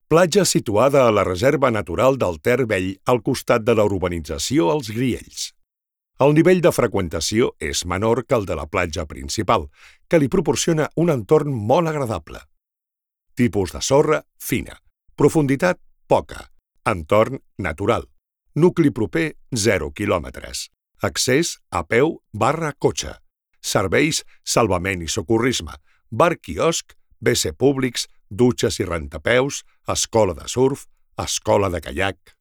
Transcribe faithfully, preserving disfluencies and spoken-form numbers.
Platja situada a la Reserva Natural del Ter Vell al costat de la urbanització Els Griells. El nivell de freqüentació és menor que el de la platja principal, que li proporciona un entorn molt agradable. Tipus de sorra, fina. Profunditat, poca. Entorn, natural. Nucli proper, zero quilòmetres. Accés a peu barra cotxe. Serveis, salvament i socorrisme. Bar-quiosc, ve ce públics, dutxes i rentapeus, escola de surf, escola de caiac.